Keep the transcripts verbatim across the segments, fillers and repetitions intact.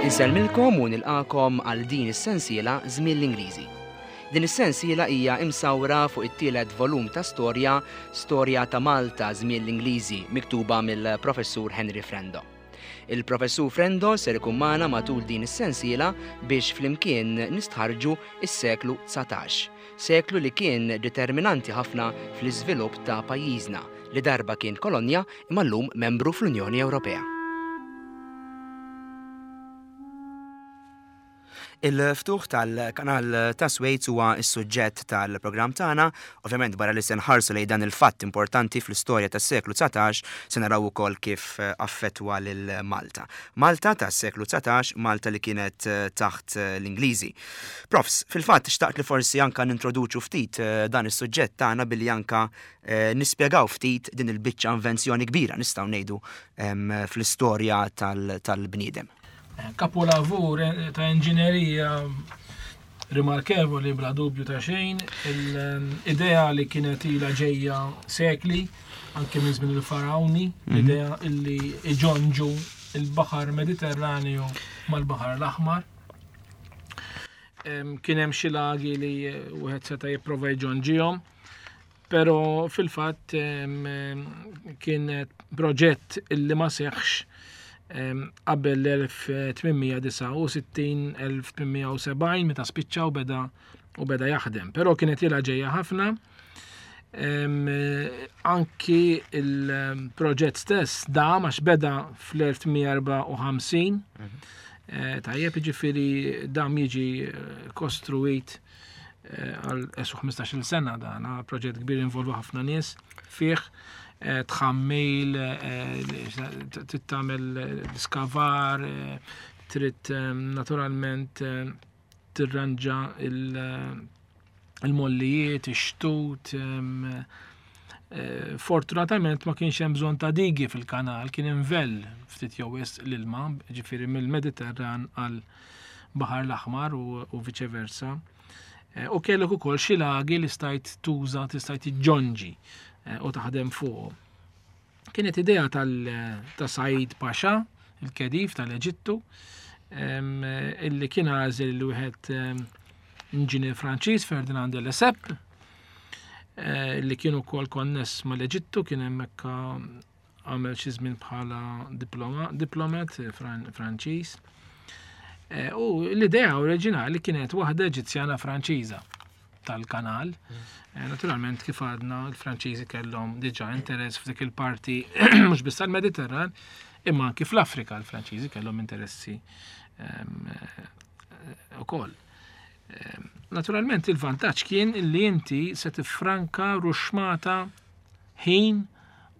Insellmilkom u nilqakom għal din is-sensiela Żmien l-Ingliżi. Din is-sensiela hija imsawra fuq it-tielet volum ta' storja, Storja ta' Malta Żmien l-Ingliżi, miktuba mill-Professur Henry Frendo. Il-Professur Frendo ser ikun magħna matul din is-sensiela biex flimkien nistħarġu is-seklu dsatax, seklu li kien determinanti ħafna fl-iżvilupp ta' pajjiżna li darba kien kolonja imma llum membru fl-Unjoni Ewropea. Il-ftuħ tal-kanal ta' Suez huwa s-suġġett tal-programm tagħna. Ovvjament barra li se nħarsu lejn dan il-fatt importanti fl-istorja tas-seklu dsatax, se naraw ukoll kif affettwa lil Malta. Malta tas-seklu dsatax, Malta li kienet taħt l-Ingliżi. Profs, fil-fatt xtaqt li forsi anka nintroduċu ftit dan is-suġġett tagħna billi anka nispjegaw ftit din il-biċċa invenzjoni kbira nistgħu ngħidu fl-istorja tal-bniedem. Kapolavur ta' inġinerija rimarkevoli bla dubju ta' xejn, l-idea li kienet ilha ġejja sekli, anke minn żmien il-Farawni, l-idea illi iġonġu il-Baħar Mediterranju mal-Baħar l-Aħmar. Kien hemm xi lagi li wieħed seta' jipprova jġonġihom, però fil-fatt kien proġett illi ma seħħx qabel l-elf tmien mija disgħa u sittin, elf tmien mija u sebgħin meta spiċċa u beda u beda jaħdem. Però kienet ilha ġejja ħafna. Anki il-proġett stess dam għax beda fl-elf tmien mija erbgħa u ħamsin. Tajjeb, jiġifieri dam jiġi kostruit għal esu ħmistax-il sena dan, proġett kbir involva ħafna nies fih. Tħammil, trid tagħmel diskavar, trid naturalment tirranġa il-mollijiet, ix-xtut. Fortunatament ma kienx hemm bżonn ta' digi fil-kanal, kien invell ftit jew wisq l-ilma, ġifieri mill-Mediterran għal Baħar l-Aħmar u, u viċe versa. U kellek ukoll xi lagi li stajt tuża, tistajt tiġġonġi u taħdem fuqhom. Kienet idea tal-, ta' Said Pasha, il-Kedif tal-Eġittu, illi kien għażel li wieħed inġinier Franċiż, Ferdinand de Lesseps, li kien ukoll konness mal-Eġittu, kien hemmhekk għamel xi żmien bħala diploma, diplomat Fran-, Franċiż. U l-idea oriġinali kienet waħda Eġizzjana Franċiża tal-kanal. Naturalment kif għadna l-Franċiżi kellhom diġà interess f'dik il-parti mhux biss tal-Mediterran, imma anki fl-Afrika l-Franċiżi kellhom interessi, ehm, ukoll. Ehm, naturalment il-vantaġġ kien li inti se tiffranka ruxmata ħin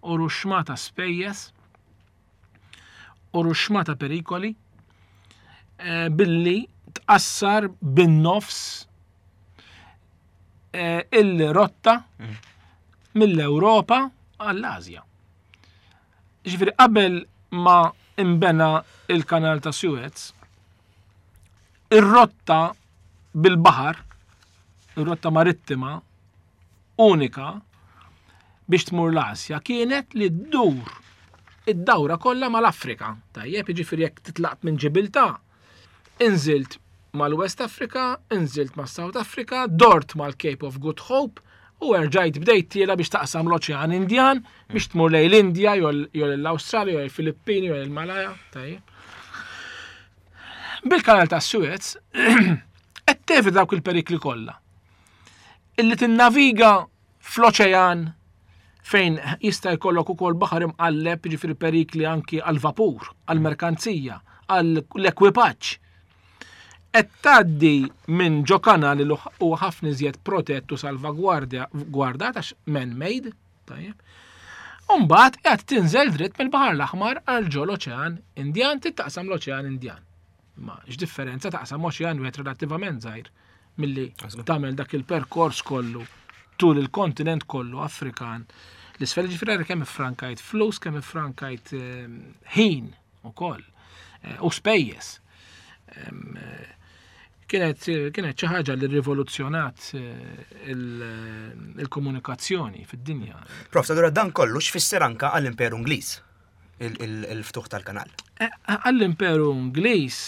u ruxmata spejjeż u ruxmata perikoli, eh, billi tqassar bin-nofs, eh, il-rotta Mm. mill-Ewropa għall-Asja. Ġifieri qabel ma imbena il-kanal ta' Suez, ir-rotta bil-baħar, ir-rotta marittima unika biex tmur l-Asja kienet li ddur id-dawra kollha mal-Afrika. Tajjeb, jiġifieri jekk titlaqt minn Ġibiltà, inżilt mal-West Africa, inżilt ma' South Africa, dort mal-Cape of Good Hope u erġajt bdejt tiela biex taqsam l-Oċean Indjan biex tmur lejn l-Indja, jew l-Awstralja, jew il-Filippini, jew il-Malaya. Tajjeb. Bil-kanal ta' Suez qed tevita dawk il-perikli kollha. Illi tinnaviga fl-oċean fejn jista' jkollok ukoll baħar imqalleb, jiġifieri perikli anki għall-vapur, għall-merkanzija, għall-ekwipaġġ. Qed tgħaddi minn ġo kanal li huwa ħafna iżjed protett u salvagwardja gwardat għax man-made, tajjeb. U mbagħad qed tinżel dritt mill-Baħar l-Aħmar għal ġo l-Oċean Indjan, taqsam l-Oċean Indjan. Ma x'differenza taqsam oċean wieħed relattivament żgħir milli Għażlu. tagħmel dak il-perkors kollu tul il-kontinent kollu Afrikan. L-isfel ġifieri kemm iffrankajt flus, kemm iffrankajt, ehm, ħin ukoll, eh, u spejjeż. Ehm, eh, kienet, kienet xi ħaġa li rivoluzzjonat, eh, il-, il-komunikazzjoni fid-dinja. Prof, allura dan kollu x'fisser anka għall-Imperu Ingliż? il-ftuħ tal-kanal? Għall-Imperu Ingliż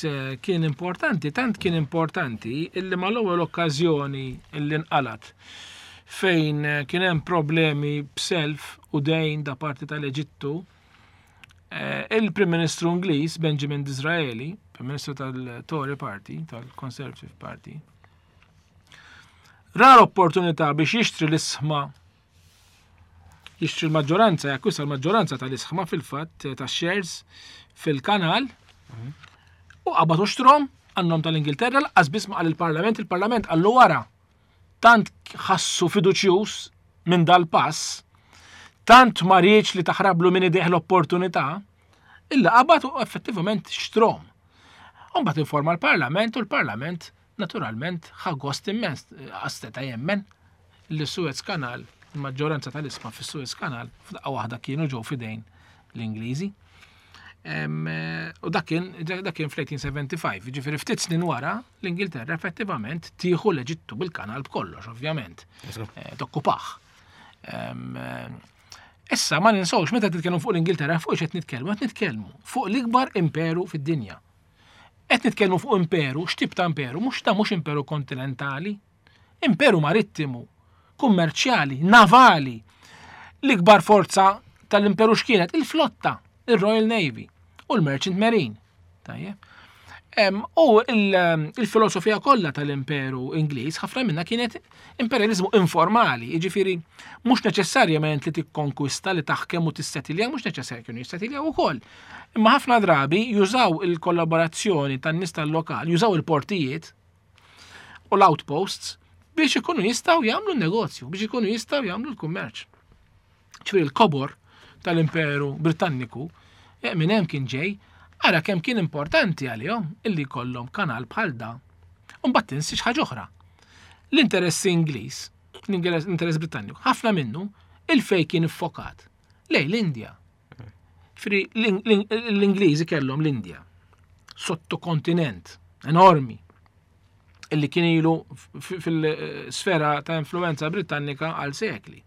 kien importanti, tant kien importanti illi mal-ewwel okkażjoni illi nqalat fejn kien hemm problemi b'self u dejn da parti tal-Eġittu, il-Prim Ministru Ingliż Benjamin Disraeli, Prim Ministru tal-Tory Party, tal-Conservative Party, ra l-opportunità biex jixtri l-isħma, jixtri l-maġġoranza, jakkwista l-maġġoranza tal-isħma fil-fatt ta' shares fil-kanal u qabad u xtrahom għan-nom tal-Ingilterra, lanqas biss ma qal il-Parlament, il-Parlament qallu wara. Tant ħassu fiduċjuż minn dal-pass, tant ma riedx li taħrablu minn idejh l-opportunità, illa qabad u effettivament xtrahom. Umbagħad informa l-Parlament u l-Parlament naturalment ħa gost immens, għax seta' jemmen li Suez Canal, il-maġġoranza tal-isma fis-Suez Canal, f'daqqa waħda kienu ġew fidejn l-Ingliżi. U dak kien dak kien fl-eighteen seventy-five, ġifieri ftit snin wara l-Ingilterra effettivament tieħu l-Eġittu bil-kanal b'kollox, ovvjament. Tokkupah. Issa ma ninsawx, meta titkellmu fuq l-Ingilterra, fuq x'qed nitkellmu, qed nitkellmu fuq l-ikbar imperu fid-dinja. Qed nitkellmu fuq imperu, x'tip ta' imperu? Mhux ta' mhux imperu kontinentali, imperu marittimu, kummerċjali, navali. L-ikbar forza tal-imperu x'kienet? Il-flotta, il-Royal Navy u l-Merchant Marine. Tajjeb. U il-filosofija kollha tal-Imperu Ingliż ħafna minna kienet imperializmu informali, jiġifieri mhux neċessarjament li tikkonkwista, li taħkem u tissetilja, mhux neċessarja, kienu jissetiljaw ukoll. Imma ħafna drabi jużaw il-kollaborazzjoni tan-nies tal-lokal, jużaw il-portijiet u l-outposts biex ikunu jistgħu jagħmlu n-negozju, biex ikunu jistgħu jagħmlu l-kummerċ. Ġifieri l-kobor tal-Imperu Britanniku minn hemm kien ġej. Ara kemm kien importanti għalihom illi jkollhom kanal bħal da. U mbagħad tinsiex ħaġa oħra. L-interess Ingliż, l-interess Britanniku, ħafna minnu il-fej kien iffokat lejn l-Indja. Ġifieri l-Ingliżi kellhom l-Indja, sottokontinent enormi, illi kien ilu fil-sfera ta' influenza Britannika għal sekli.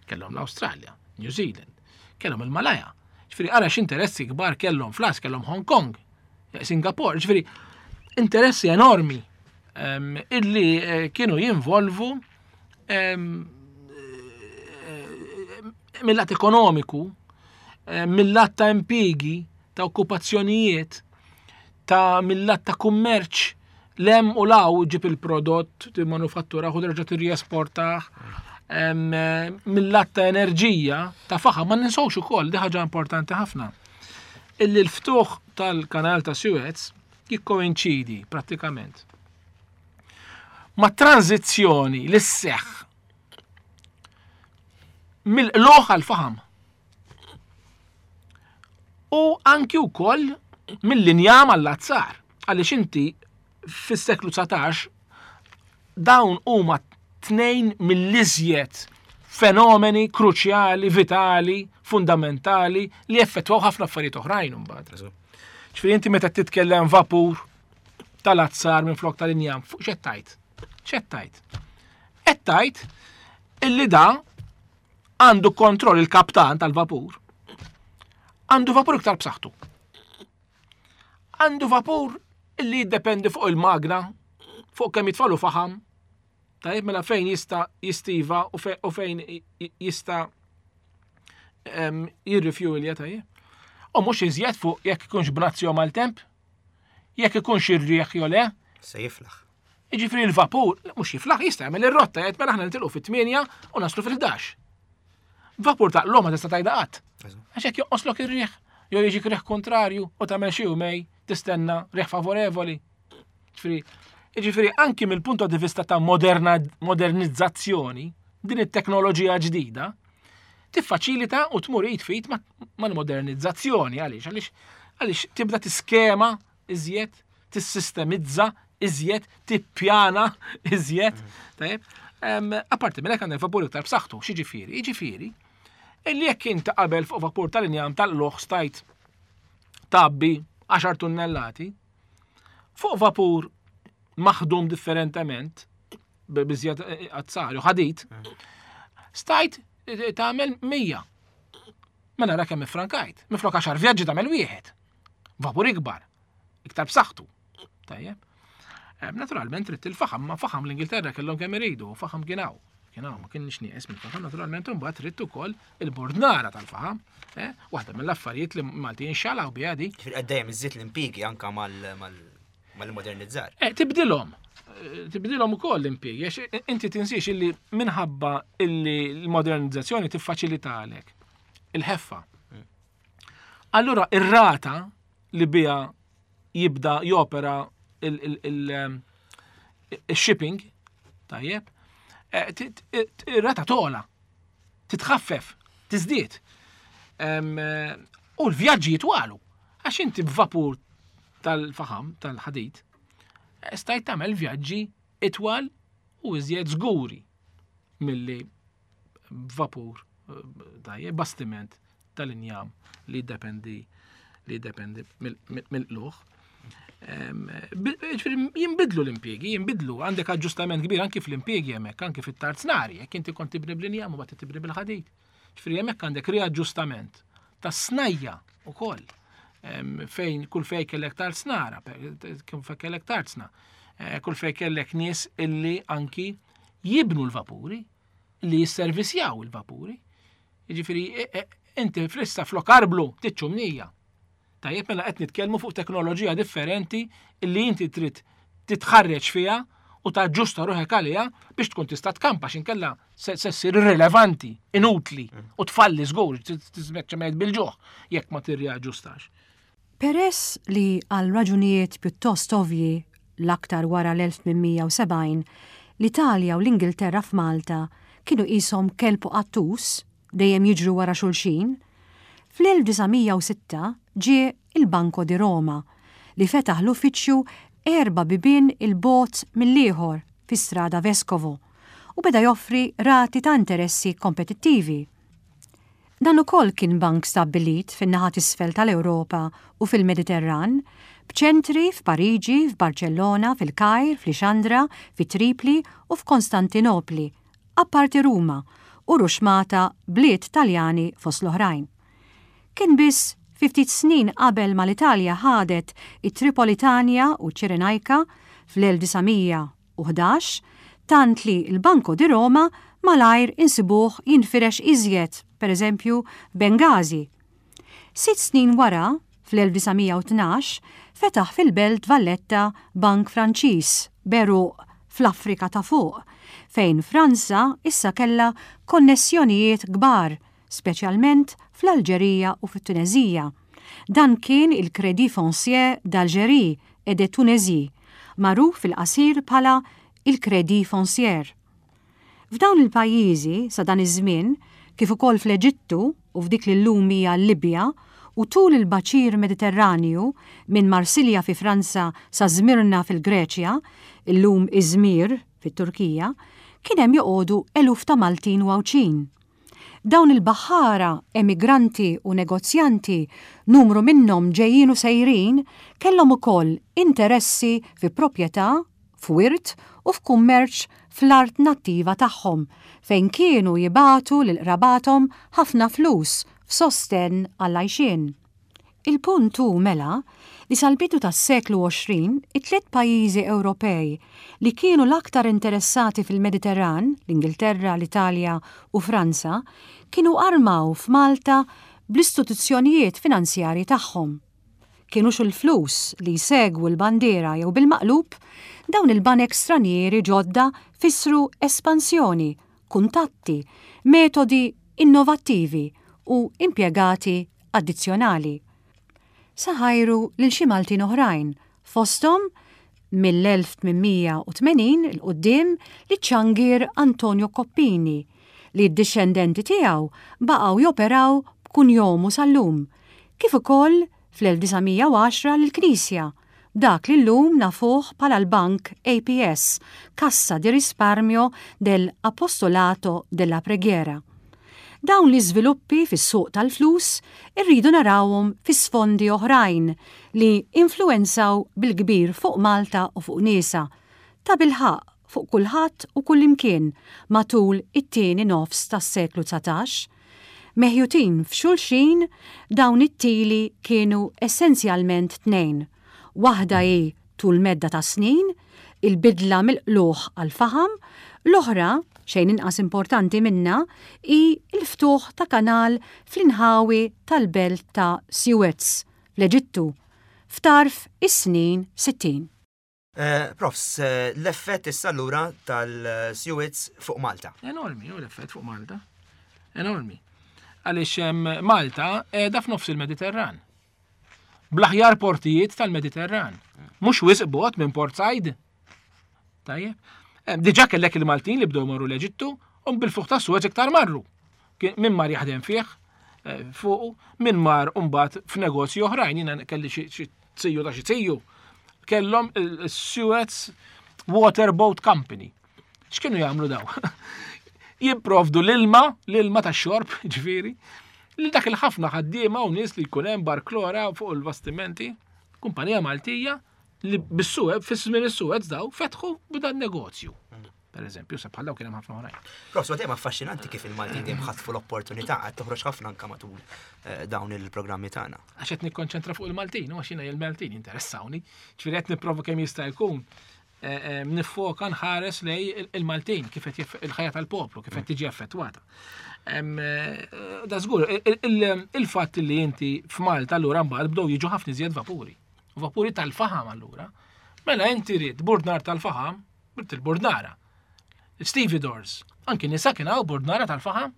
Kellhom l-Awstralja, New Zealand, kellhom il-Malaya. Ġifieri ara x'interessi kbar kellhom fl-Asja, kellhom Hong Kong, Singapore, ġifieri interessi enormi illi kienu jinvolvu mill-lat ekonomiku, mill-lat ta' impjiegi, ta' okkupazzjonijiet, ta' mill-lat ta' kummerċ, lem u law ġib il-prodott, timmanufattura, u terġa' tirriesportah, mill-lat ta' enerġija, ta' faħam, ma ninsawx ukoll, di ħaġa importanti ħafna. Illi l-ftuħ tal-kanal ta' Suez jikkoinċidi prattikament ma' tranzizzjoni li sseħħ mill-qlugħ għal faħam. U anki wkoll mill-injam għall-azzar. Għaliex inti fis-seklu dsatax dawn huma tnejn mill-iżjed fenomeni kruċjali, vitali, fundamentali li effettwaw ħafna affarijiet oħrajn imbagħad. Ġifieri inti meta titkellem vapur tal-azzar minn flok tal-injam, fuq x'qed tgħid? X'qed tgħid? Qed tgħid illi da għandu kontroll, il-kaptan tal-vapur. Għandu vapur iktar b'saħħtu. Għandu vapur illi jiddependi fuq il-magna, fuq kemm jitfalu faħam. Tajjeb, mela fejn jista' jistiva u fejn jista' jirrifjuwilja, tajjeb. U mhux iżjed fuq jekk ikunx bnazzi mal-temp, jekk ikunx ir-riħ jew le. Se jiflaħ. Jiġifieri l-vapur, mhux jiflaħ, jista' jagħmel ir-rotta, jgħid mela aħna nitilqu fit-tmienja u naslu fil-ħdax. Vapur ta' l ma tista' tgħidha qatt. Għax jekk jonqoslok ir-riħ, jew jiġik riħ kontrarju u tagħmel xi jumej tistenna riħ favorevoli. Ġifieri, ġifieri anki mill-punto di vista ta' moderna, modernizzazzjoni, din it-teknoloġija ġdida tiffaċilita u tmur id f'id mal-modernizzazzjoni. Għaliex? Għaliex għaliex tibda tiskema iżjed, tissistemizza iżjed, tippjana iżjed. Tajjeb. Apparti minn hekk, għandek vapur iktar b'saħħtu, x'jiġifieri? Jiġifieri, illi jekk inti qabel fuq vapur tal-injam tal-loħ stajt tgħabbi għaxar tunnellati, fuq vapur maħdum differentement, b'iżjed azzar u ħadid, stajt tagħmel mija. Mela ra kemm iffrankajt. Minflok għaxar vjaġġi tagħmel wieħed. Vapur ikbar, iktar b'saħħtu. Tajjeb. Eh, naturalment trid il-faħam, ma faħam l-Ingilterra kellhom kemm iridu, faħam kien hawn. Kien hawn, ma kienx nieqes mill-faħam, naturalment imbagħad trid ukoll il-bordnara tal-faħam. Eh, waħda mill-affarijiet li Maltin xalaw biha di. Ġifieri dejjem iżżid l-impjiegi anka mal-modernizzar. Eh, tibdilhom. Tibdilhom ukoll l-impjiegi, għax inti tinsiex illi minħabba illi l-modernizzazzjoni tiffaċilitalek il-ħeffa. Allura ir-rata li biha jibda jopera il-shipping, tajjeb, eh, ir-rata togħla, titħaffef, tiżdied. Eh, u l-vjaġġi jitwalu, għax inti b'vapur tal-faħam, tal-ħadid, eh, stajt tagħmel vjaġġi itwal u iżjed żguri milli vapur tajjeb, bastiment tal-injam li jiddependi li jiddependi mill-qlugħ. Jinbidlu l-impjiegi, jinbidlu, għandek aġġustament kbir anki fl-impjiegi hemmhekk, anki fit-tarznari, jekk inti kont tibni bl-injam u mbagħad tibni bil-ħadid. Ġifieri hemmhekk għandek riaġġustament tas-snajja ukoll fejn kull fej kellek tarznara, kull fej kellek tarzna, eh, kull fej kellek nies illi anki jibnu l-vapuri, li jisservisjaw il-vapuri. Jiġifieri e, e, inti flissa flok arblu tiċċumnija. Tajjeb mela qed nitkellmu fuq teknoloġija differenti illi inti trid titħarreġ fiha u taġġusta ruħek għaliha biex tkun tista' tkampa x'inkella se ssir irrilevanti, inutli u tfalli żgur, tispiċċa bil-ġuħ jekk ma tirriaġġustax. Peress li għal raġunijiet pjuttost ovvji l-aktar wara l-elf tmien mija u sebgħin, l-Italja u l-Ingilterra f'Malta kienu qishom kelb u qattus dejjem jiġru wara xulxin, fl-elf disa' mija u sitta ġie il-Banco di Roma li fetaħ l-uffiċċju erba' bibien 'il bogħod mill-ieħor fi Strada Vescovo u beda joffri rati ta' interessi kompetittivi. Dan ukoll kien bank stabbilit fin-naħa t'isfel tal-Ewropa u fil-Mediterran, b'ċentri f'Pariġi, f'Barcellona, fil-Kajr, f'Lixandra, fi Tripli u f'Konstantinopli, apparti Ruma u ruxmata bliet Taljani fost l-oħrajn. Kien biss ftit snin qabel ma l-Italja ħadet it-Tripolitania u Ċirenajka fl-elf disa' mija u ħdax, tant li l-Banco di Roma malajr insibuh jinfirex iżjed, per eżempju, Bengazi. Sitt snin wara, fl-elf disa' mija u tnax, fetaħ fil-Belt Valletta Bank Franċiż b'għeruq fl-Afrika ta' fuq, fejn Franza issa kella konnessjonijiet kbar, speċjalment fl-Alġerija u fit-Tunezija. Dan kien il-Crédit Foncier d'Algérie et de Tunisie, magħruf fil-qasir bħala il-Crédit Foncier. F'dawn il-pajjiżi sa dan iż-żmien, kif ukoll fl-Eġittu u f'dik li llum hija Libja u tul il-baċir Mediterranju minn Marsilja fi Franza sa Zmirna fil-Greċja, illum Izmir fit-Turkija, kien hemm joqogħdu eluf ta' Maltin u Għawdxin. Dawn il-baħħara, emigranti u negozjanti, numru minnhom ġejjin u sejrin, kellhom ukoll interessi fi proprjetà, f'wirt u f'kummerċ fl-art nattiva tagħhom, fejn kienu jibagħtu lil qrabathom ħafna flus f'sosten għall-għajxien. Il-punt hu mela li sal-bidu tas-seklu għoxrin it-tliet pajjiżi Ewropej li kienu l-aktar interessati fil-Mediterran, l-Ingilterra, l-Italja u Franza, kienu armaw f'Malta bl-istituzzjonijiet finanzjarji tagħhom. Kienux il-flus li jsegwu l-bandiera jew bil-maqlub, dawn il-banek stranieri ġodda fissru espansjoni, kuntatti, metodi innovattivi u impjegati addizzjonali. Sa ħajru lil xi Maltin oħrajn, fosthom mill-elf tmien mija u tmenin 'il quddiem liċ-ċangier Antonio Coppini, li d-dixxendenti tiegħu baqgħu joperaw b'kunjomu sal-lum, kif ukoll fl-elf disa' mija u għaxra lill-Knisja, dak li llum nafuh bħala l-Bank A P S, Cassa di Risparmio dell'Apostolato della Preghiera. Dawn l-iżviluppi fis-suq tal-flus irridu narawhom fi sfondi oħrajn li influenzaw bil-kbir fuq Malta u fuq niesha, ta' bilħaqq fuq kulħadd u kullimkien matul it-tieni nofs tas-seklu dsatax. Meħjutin f'xulxin dawn it-tili kienu essenzjalment tnejn. Waħda hi tul medda ta' snin, il-bidla mill-qlugħ għal faħam, l-oħra, xejn inqas importanti minna, hi l-ftuħ ta' kanal fl-inħawi tal-belt ta' Suez, fl-Eġittu, f'tarf is-snin sittin. Eh, profs, eh, l-effett issa allura tal-Suez fuq Malta. Enormi, u l-effett fuq Malta. Enormi. Għaliex Malta qiegħda f'nofs il-Mediterran. Bl-aħjar portijiet tal-Mediterran. Mhux wisq bogħod minn Port Said. Tajjeb. Diġà kellek il-Maltin li bdew marru l-Eġittu u bil-ftuħ ta' Suez iktar marru. Min mar jaħdem fih, eh, fuqu, min mar mbagħad f'negozji oħrajn, jiena kelli xi ziju ta' xi ziju. Kellhom il-Suez Waterboat Company. X'kienu jagħmlu daw? Jipprovdu l-ilma, l-ilma ta' xorb, ġifieri, li dak il-ħafna ħaddiema u nies li jkun hemm barklora fuq il-bastimenti, kumpanija Maltija li bis-Suez, fis-żmien is-Suez daw fetħu b'dan negozju. Per eżempju, se bħal daw kien hemm ħafna oħrajn. Profs, dejjem affaxxinanti kif il-Maltin dejjem ħatfu l-opportunità qed toħroġ ħafna anke matul eh, dawn il-programmi tagħna. Għax qed nikkonċentra fuq il-Maltin, u għax jiena il-Maltin interessawni. Ġifieri qed nipprova kemm jista' jkun eh, eh, nifoka nħares lej il-Maltin, kif qed il-ħajja tal-poplu, kif qed tiġi affettwata. Da żgur, il-fatt li inti f'Malta allura mbagħad bdew jiġu ħafna iżjed vapuri. Vapuri tal-faħam allura. Mela inti rid burdnar tal-faħam, ridt il-burdnara. Stevedores, anki nisa kien hawn burdnara tal-faħam.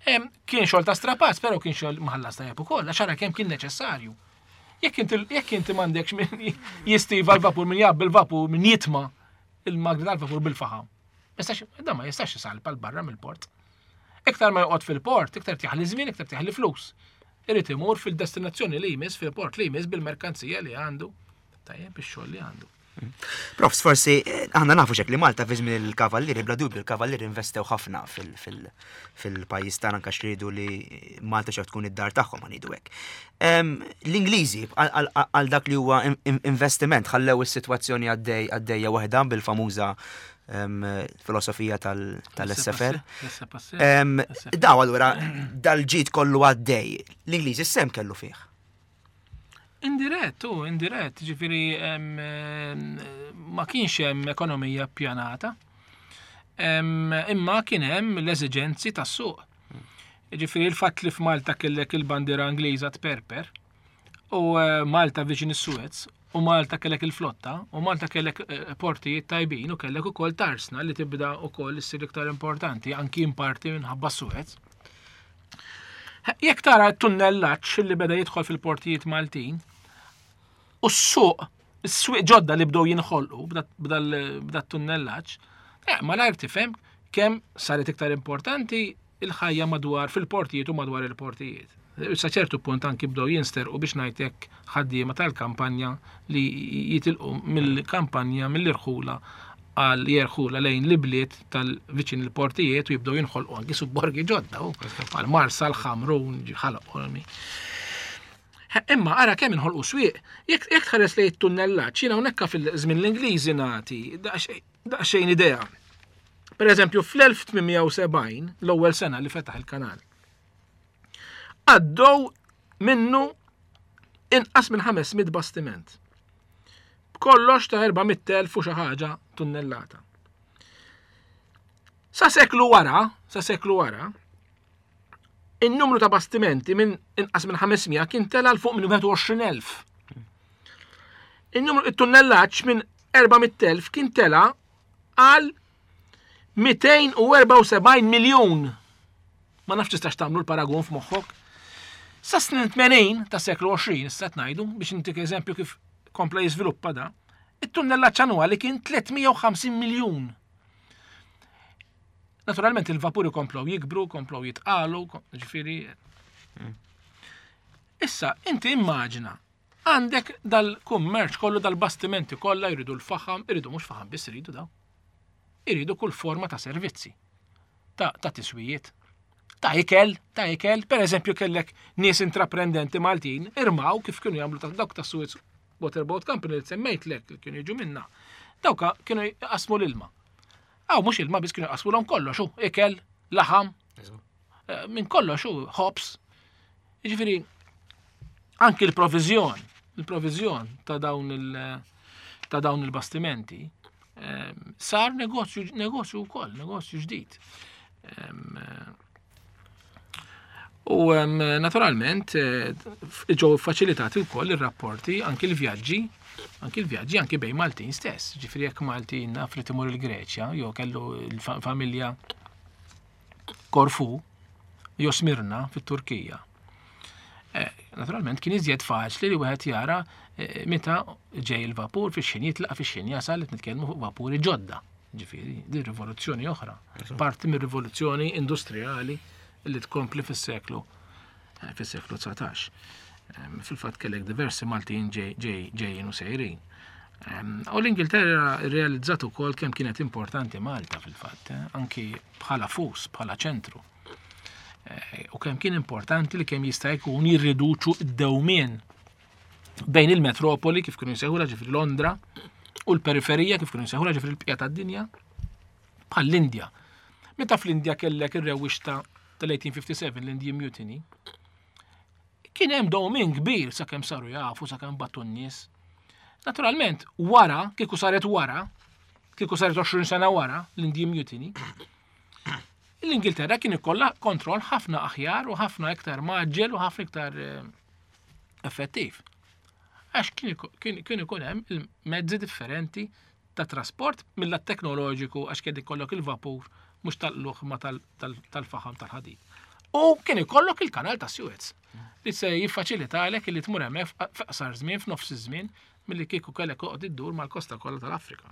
Kien xogħol ta' strapazz, però kien xogħol mħallas tajjeb ukoll, għax ara kemm kien neċessarju. Jekk inti jekk inti m'għandekx min jistiva l-vapur, min jgħabbi l-vapur, min jitma il-magni tal-vapur bil-faħam. Da ma jistax isalpa 'l barra mill-port. Iktar ma joqgħod fil-port, iktar jaħli żmien, iktar jaħli flus. Irid imur fil-destinazzjoni li jmiss, fil-port li jmiss bil-merkanzija li għandu. Tajjeb, ix-xogħol li għandu. Profs, forsi, eh, aħna nafu xek li Malta fi żmien il-kavallieri, bla dubju il-kavallieri investew ħafna fil-pajjiż tagħna anke xridu li Malta xew tkun id-dar tagħhom ngħidu hekk. L-Ingliżi għal dak li huwa investiment ħallew is-sitwazzjoni għaddej għaddejja waħda bil-famuża filosofija tal-S F R. Daw allura dal-ġid kollu għaddej. L-Ingliżi sem kellu fih. Indirett, u indirett, ġifieri ma kienx hemm ekonomija ppjanata, imma kien hemm l-eżiġenzi tas-suq. Ġifieri il-fatt li f'Malta kellek il-bandiera Ingliża tperper, u eh, Malta viċin is-Suez, u Malta kellek il-flotta, u Malta kellek eh, portijiet tajbin, u kellek ukoll tarsna li tibda ukoll issir iktar importanti, anki in parti minħabba Suez. Jekk tara t-tunnellaġġ li beda jidħol fil-portijiet Maltin, u s-suq, is-swieq ġodda li bdew jinħolqu b'da tunnellaġġ, eh, malajr tifhem kemm saret iktar importanti il-ħajja madwar fil-portijiet u madwar il-portijiet. Sa ċertu punt anki bdew jinsterqu biex ngħidlek ħaddiema tal-kampanja li jitilqu mill-kampanja mill-irħula għal jerħula lejn l-ibliet tal-viċin il-portijiet u jibdew jinħolqu anki subborgi ġodda u għal Marsa, l-Ħamrun, Ħal Qormi. Imma ara kemm inħolqu swieq, jekk jekk tħares lejn it-tunnellaġġ, jiena hawnhekk fil-żmien l-Ingliżi nagħti daqsxejn idea. Per eżempju, fl-elf tmien mija u sebgħin, l-ewwel sena li fetaħ il-kanal, għaddew minnu inqas minn ħames mitt bastiment. B'kollox ta' erba' mitt elf u xi ħaġa tunnellata. Sa seklu wara, sa seklu wara, in-numru ta' bastimenti minn inqas minn ħames mija kien tela 'l fuq minn wieħed u għoxrin elf. In-numru it-tunnellaġġ minn erba' mitt elf kien tela għal mitejn u erbgħa u sebgħin miljun. Ma nafx tistax tagħmlu l-paragun f'moħħok. Sa snin tmenin ta' seklu għoxrin, issa ngħidu biex intik eżempju kif kompla jiżviluppa da, it-tunnellaġġ annwali kien tliet mija u ħamsin miljun. Naturalment il-vapuri komplow jikbru, komplow jitqalu, ġifieri. Issa, inti immaġina, għandek dal-kummerċ kollu, dal-bastimenti kollha jridu l-faħam, jridu mhux faħam biss iridu daw. Iridu kull forma ta' servizzi, ta', ta tiswijiet, ta' ikel, ta' ikel, per eżempju kellek nies intraprendenti Maltin, irmaw kif kienu jagħmlu ta' dawk ta' Suez Waterboat Company li semmejtlek li kienu jiġu minna. Dawk kienu jqasmu l-ilma. Aw, mhux ilma biss, kienu jqasmu l kollox, u ikel, laħam, eh, minn kollox u hops. Jiġifieri anki l-provizjon, il-provizjon ta' dawn il- ta' dawn il-bastimenti ehm, sar negozju negozju wkoll, negozju ġdid. Ehm, U ehm, naturalment eh, ġew faċilitati wkoll ir-rapporti anki l-vjaġġi, anki l-vjaġġi anki bejn Maltin stess. Ġifieri jekk Maltin naf li timur il-Greċja, jew kellu l-familja Korfu, jew Smirna fit-Turkija. Eh, Naturalment kien iżjed faċli li wieħed jara eh, meta ġej il-vapur fix-xejn jitlaq fix-xejn jasal qed nitkellmu fuq vapuri ġodda. Ġifieri, din rivoluzzjoni oħra, parti mir-rivoluzzjoni industrijali li tkompli fis-seklu eh, fis-seklu dsatax. Em, Fil-fatt kellek diversi Maltin ġej- ġej- ġejjin u sejrin. Em, U l-Ingilterra realizzat ukoll kemm kienet importanti Malta fil-fatt, eh, anki bħala fus, bħala ċentru. Eh, U kemm kien importanti li kemm jista' jkun jirriduċu d-dewmien bejn il-metropoli kif kienu jsejħulha ġifieri Londra u l-periferija kif kienu jsejħulha ġifieri l-bqija tad-dinja bħal l-Indja. Meta fl-Indja kellek ir-rewwixta tal-eighteen fifty-seven, l-Indian Mutiny, kien hemm dewmien kbir sakemm saru jafu, sakemm bagħtu n-nies. Naturalment, wara, kieku saret wara, kieku saret għoxrin sena wara l-Indian Mutiny, l-Ingilterra kien ikollha kontroll ħafna aħjar u ħafna iktar mgħaġġel u ħafna iktar eh, effettiv. Għax kien iko- kien kien ikun hemm il-mezzi differenti ta' trasport mill teknoloġiku, għax kien ikollok il-vapur mhux tal-luħ ma tal- tal- tal-faħam tal-ħadid. U kien ikollok il-kanal ta' Suez li se jiffaċilitalek li tmur hemmhekk f'qasar żmien, f'nofs iż-żmien, milli kieku kellek toqgħod iddur mal-kosta kollha tal-Afrika.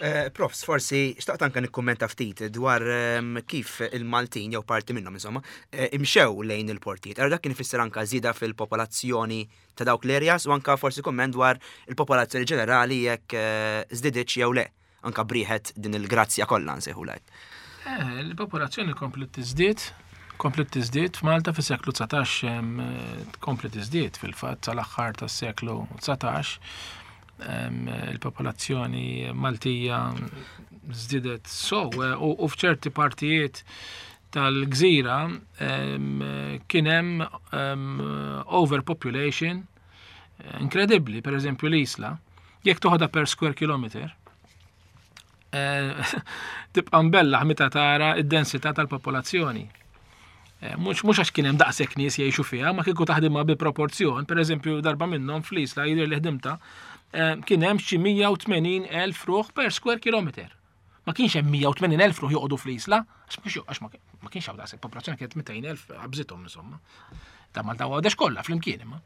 Eh, Profs, forsi xtaqt anka nikkummenta ftit dwar ehm, kif il-Maltin jew parti minnhom insomma eh, imxew lejn il-portijiet. Allora dak kien ifisser anka żieda fil-popolazzjoni ta' dawk l-areas u anka forsi kumment dwar il-popolazzjoni ġenerali jekk eh, żdiditx jew le, anka b'riħet din il-grazzja kollha nsejħulek. Eh, il-popolazzjoni komplet tiżdied, komplet tiżdied f'Malta fis-seklu dsatax, em, eh, komplet tiżdied fil-fatt sal-aħħar tas-seklu dsatax. em, Il-popolazzjoni Maltija żdiedet so eh, u u f'ċerti partijiet tal-gżira em, kien hemm em, overpopulation eh, inkredibbli, per eżempju l-Isla, jekk toħodha per square kilometer, eh, tibqa' mbellaħ meta tara id-densità tal-popolazzjoni. Eh, Mhux mhux għax kien hemm daqshekk nies jgħixu fiha, ma kieku taħdimha bi proporzjon, per eżempju darba minnhom fl-Isla jidher li ħdimta, eh, kien hemm xi mija u tmenin elf ruħ per square kilometer. Ma kienx hemm mija u tmenin elf ruħ joqogħdu fl-Isla, għax mhux għax ma ma kienx hawn daqshekk popolazzjoni, kienet mitejn elf qabżithom insomma. Ta' Malta u Għawdex kollha flimkien imma.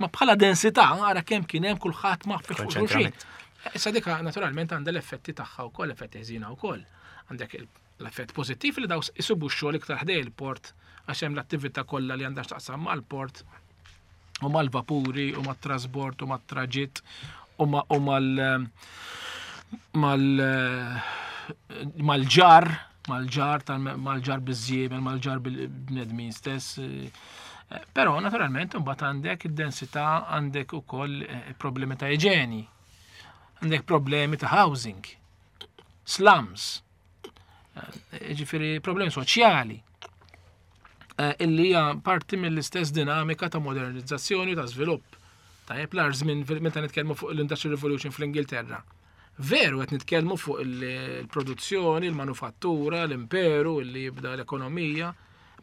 Ma bħala densità ara kemm kien hemm kulħadd ma fuq xulxin. Konċentrament. Issa dika naturalment għandha l-effetti tagħha wkoll, effetti ħżiena wkoll. Għandek il- l-effett pożittiv li daw isibu x-xogħol iktar ħdej il-port għax hemm l-attività kollha li għandha x'taqsam mal-port u mal-vapuri u mat-trasbord u mat-traġitt u ma- u mal mal mal-ġar mal-ġar tal- mal-ġar biż-żiemel, mal-ġar bil-bnedmin stess. Eh, Però naturalment imbagħad għandek id-densità, għandek ukoll eh, problemi ta' iġeni, għandek problemi ta' housing, slums, eh, ġifieri problemi soċjali eh, illi hija parti mill-istess dinamika ta' modernizzazzjoni u ta' żvilupp. Tajjeb, l żmien meta nitkellmu fuq l-Industrial Revolution fl-Ingilterra. Veru qed nitkellmu fuq il-produzzjoni, il-manufattura, l-imperu, li jibda l-ekonomija,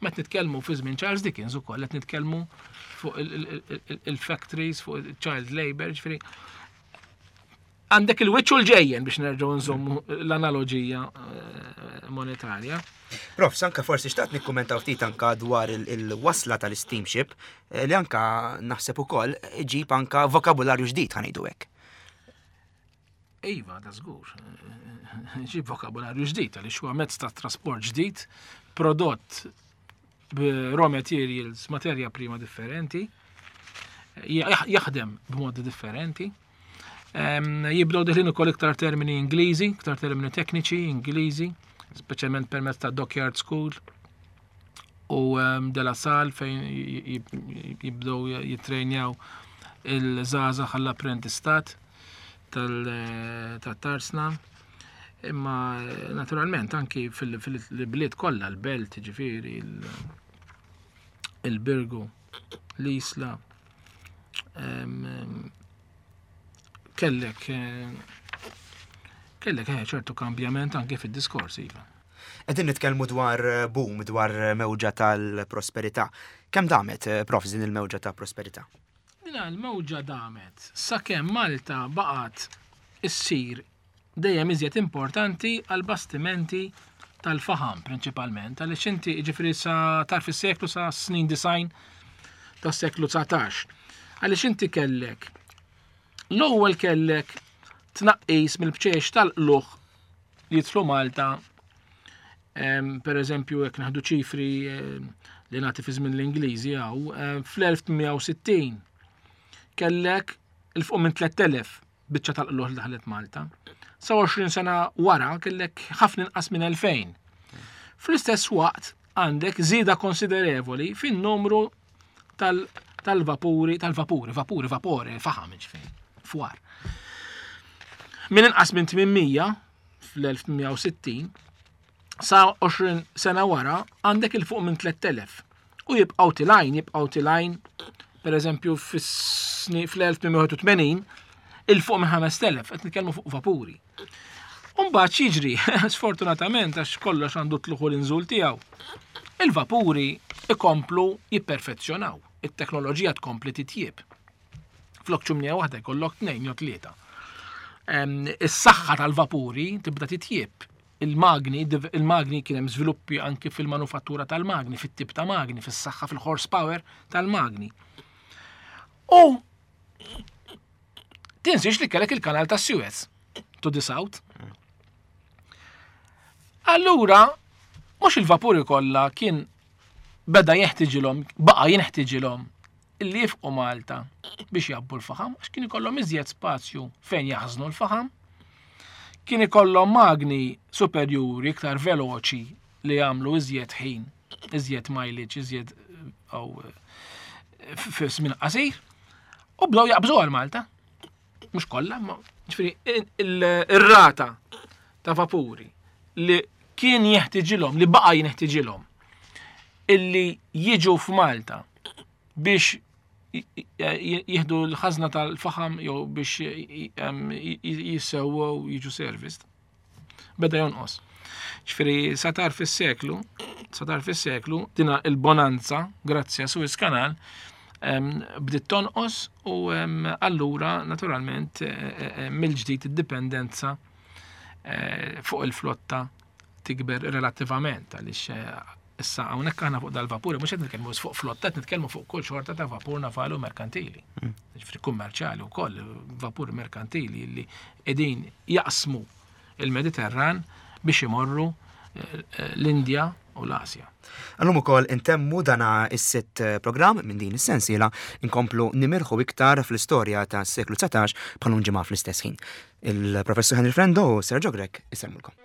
ma qed nitkellmu fi żmien Charles Dickens ukoll qed nitkellmu fuq il-factories, fuq il-child labor, ġifieri għandek il-wiċċ u l-ġejjen biex nerġgħu nżommu l-analogija eh, monetarja. Prof, anka forsi xtaqt nikkummentaw ftit anka dwar il-wasla tal-steamship eh, li anka naħseb ukoll ġib anka vokabularju ġdid, ħa ngħidu hekk. Iva, da żgur. Ġib vokabularju ġdid, għaliex huwa mezz ta' trasport ġdid, prodott b'raw materials, materja prima differenti, jaħdem b'modi differenti. Jibdew deħlin ukoll iktar termini Ingliżi, iktar termini tekniċi Ingliżi, speċjalment permezz ta' Dockyard School u De La Salle fejn jibdew jitrejnjaw il-żgħażagħ għall-apprentistat tat-tarsna. Imma naturalment anki fil-bliet kollha, l-Belt, ġifieri, il-Birgu, l-Isla, kellek kellek ċertu kambjament anke fid-diskors, iva. Qegħdin nitkellmu dwar boom, dwar mewġa tal-prosperità. Kemm damet, Prof, din il-mewġa ta' prosperità? Din il-mewġa damet sakemm Malta baqgħet issir dejjem iżjed importanti għal bastimenti tal-faħam prinċipalment, għaliex inti ġifieri sa tarf is-seklu, sa snin disgħin tas-seklu dsatax. Għaliex inti kellek l-ewwel kellek tnaqqis mill-bċex tal-qluħ li jidħlu Malta, per eżempju, jekk naħdu ċifri li nagħti fi żmien l-Ingliżi hawn, fl-elf tmien u sittin kellek il fuq minn tlett elef biċċa tal-qluħ li daħlet Malta. Sa għoxrin sena wara kellek ħafna inqas minn elfejn. Fl-istess waqt għandek żieda konsiderevoli fin-numru tal-vapuri, tal-vapuri, vapuri, vapore, faħam, ġifieri, fwar. Minn inqas minn tmien mija fl-elf tmien u sittin sa għoxrin sena wara għandek il fuq minn tlett elef. U jibqgħu tilajn, jibqgħu tilajn, per eżempju fl-elf tmien u tmenin il fuq minn ħamest elef, qed nitkellmu fuq vapuri. Umbagħad x'jiġri, sfortunatament għax kollox għandu tluħu l-inżul tiegħu. Il-vapuri ikomplu jipperfezzjonaw, it-teknoloġija tkompli titjieb. Flok ċumnija waħda jkollok tnejn jew tlieta. Em, is-saħħa tal-vapuri tibda titjieb. Il-magni, il-magni kien hemm żviluppi anki fil-manufattura tal-magni, fit-tip ta' magni, fis-saħħa, fil-horsepower tal-magni. U tinsiex li kellek il-kanal ta' Suez to the south. Allura, mhux il-vapuri kollha kien beda jeħtiġilhom, baqa' jinħtiġilhom illi jifqu Malta biex jabbu l-faħam, għax kien ikollhom iżjed spazju fejn jaħżnu l-faħam, kien ikollhom magni superjuri iktar veloċi li jagħmlu iżjed ħin, iżjed mileage, iżjed aw fi żmien qasir, u bdew jaqbżu għal Malta. Mhux kollha, ma ġifieri ir-rata ta' vapuri li kien jeħtiġilhom, li baqa' jinħtiġilhom illi jiġu f'Malta biex jieħdu l-ħażna tal-faħam jew biex jissewwew jiġu serviced, beda jonqos. Ġifieri sa tarf is-seklu, sa tarf is-seklu dina il-bonanza grazzi għas Suez Canal bdiet tonqos u allura naturalment mill-ġdid id-dipendenza fuq il-flotta tikber relattivament għaliex issa hawnhekk aħna fuq dal-vapuri mhux qed nitkellmu fuq flotta, qed nitkellmu fuq kull xorta ta' vapur navali u merkantili. Mm. Ġifieri kummerċjali wkoll, vapur merkantili li qegħdin jaqsmu il-Mediterran biex imorru l-Indja u l-Asja. Għallum ukoll intemmu dana is-sitt programm minn din is-sensiela inkomplu nimirħu iktar fl-istorja tas-seklu dsatax bħal ġimgħa fl-istess ħin. Il-Professur Henry Frendo u Sergio Grech isellmulkom.